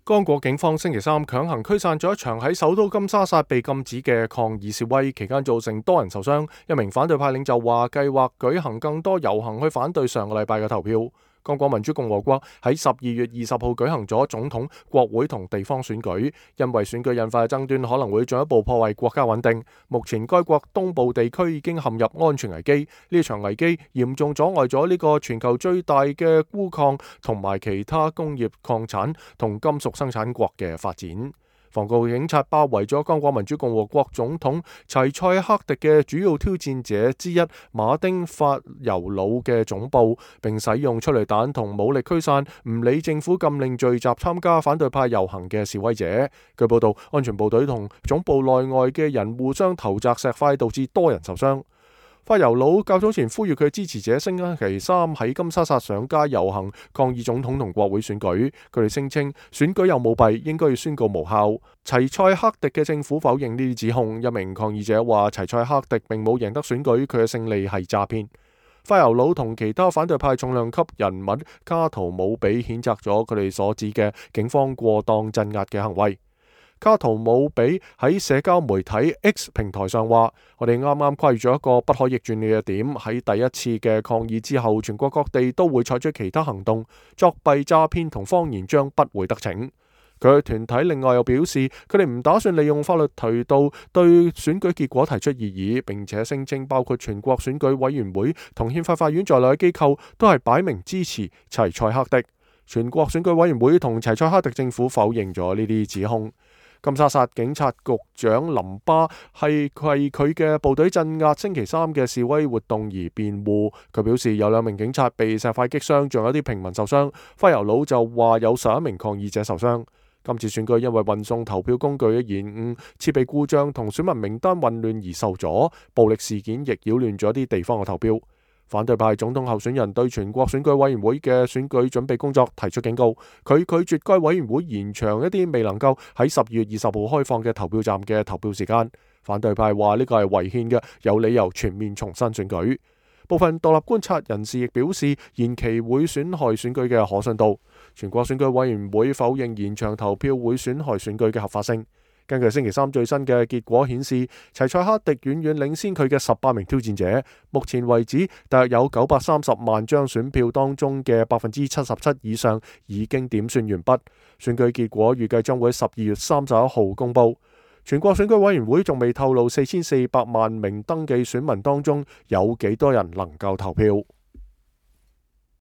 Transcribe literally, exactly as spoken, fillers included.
剛果警方星期三強行驅散咗一場喺首都金沙薩被禁止嘅抗議示威，期間造成多人受傷。一名反對派領袖話計劃舉行更多遊行去反對上個禮拜嘅投票。剛果民主共和國喺十二月二十號舉行咗總統、國會同地方選舉，因為選舉引發嘅爭端可能會進一步破壞國家穩定。目前該國東部地區已經陷入安全危機，呢場危機嚴重阻礙咗呢個全球最大嘅鈷礦同埋其他工業礦產同金屬生產國嘅發展。防暴警察包圍咗剛果民主共和國總統齊塞克迪嘅主要挑戰者之一馬丁法尤魯嘅總部，並使用催淚彈同武力驅散唔理政府禁令聚集參加反對派遊行嘅示威者。據報道，安全部隊同總部內外嘅人互相投擲石塊，導致多人受傷。法尤魯較早前呼籲佢嘅支持者星期三喺金沙薩上街遊行抗議總統同國會選舉，佢哋聲稱選舉有舞弊，應該要宣告無效。齊塞克迪嘅政府否認呢啲指控。一名抗議者話齊塞克迪並冇贏得選舉，佢嘅勝利係詐騙。法尤魯同其他反對派重量級人物卡圖姆比譴責咗佢哋所指嘅警方過當鎮壓嘅行為。卡圖姆比喺社交媒體 X 平台上話：我哋啱啱跨越咗一個不可逆轉嘅點，喺第一次嘅抗議之後，全國各地都會採取其他行動，作弊、詐騙同謊言將不會得逞。佢嘅團體另外又表示，佢哋唔打算利用法律渠道對選舉結果提出異議，並且聲稱包括全國選舉委員會同憲法法院在內嘅機構都係擺明支持齊塞克迪。全國選舉委員會同齊塞克迪政府否認咗呢啲指控。金沙薩警察局長林巴係為佢嘅部隊鎮壓星期三嘅示威活動而辯護。佢表示有兩名警察被石塊擊傷，仲有啲平民受傷。法尤魯就話有十一名抗議者受傷。今次選舉因為運送投票工具嘅延誤、設備故障同選民名單混亂而受阻，暴力事件亦擾亂咗啲地方嘅投票。反對派總統候選人對全國選舉委員會嘅選舉準備工作提出警告，佢拒絕該委員會延長一啲未能夠喺十二月二十號開放嘅投票站嘅投票時間。反對派話呢個係違憲嘅，有理由全面重新選舉。部分獨立觀察人士亦表示，延期會損害選舉嘅可信度。全國選舉委員會否認延長投票會損害選舉嘅合法性。根據星期三最新嘅結果顯示，齊塞克迪遠遠領先佢嘅十八名挑戰者。目前為止，大約有九百三十萬張選票當中嘅百分之七十七以上已經點算完畢。選舉結果預計將會喺十二月三十一號公佈。全國選舉委員會仲未透露四千四百萬名登記選民當中有幾多人能夠投票。